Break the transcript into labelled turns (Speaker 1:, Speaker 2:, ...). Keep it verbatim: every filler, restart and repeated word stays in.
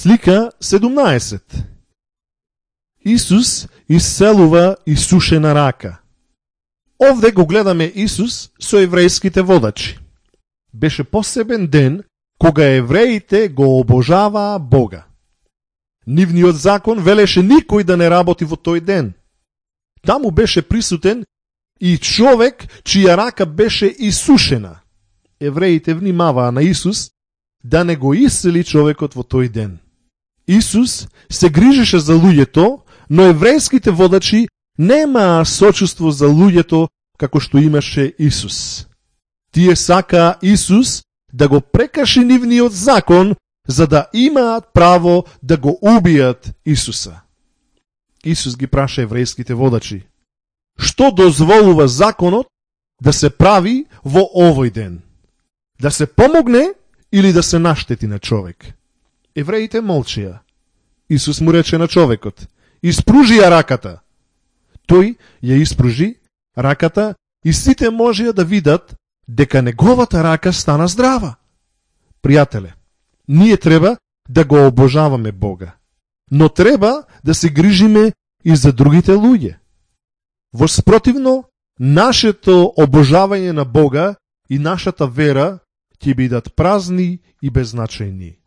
Speaker 1: Слика седумнаесет. Исус исцелува исушена рака. Овде го гледаме Исус со еврејските водачи. Беше посебен ден кога евреите го обожаваа Бога. Нивниот закон велеше никој да не работи во тој ден. Таму беше присутен и човек чија рака беше исушена. Евреите внимаваа на Исус да не го исцели човекот во тој ден. Исус се грижеше за луѓето, но еврејските водачи немаа сочувство за луѓето како што имаше Исус. Тие сакаа Исус да го прекрши нивниот закон, за да имаат право да го убијат Исуса. Исус ги праша еврејските водачи: што дозволува законот да се прави во овој ден? Да се помогне или да се наштети на човек? Евреите молчија. Исус му рече на човекот: испружи ја раката. Тој ја испружи раката и сите можеа да видат дека неговата рака стана здрава. Пријателе, ние треба да го обожаваме Бога, но треба да се грижиме и за другите луѓе. Во спротивно, нашето обожавање на Бога и нашата вера ќе бидат празни и беззначајни.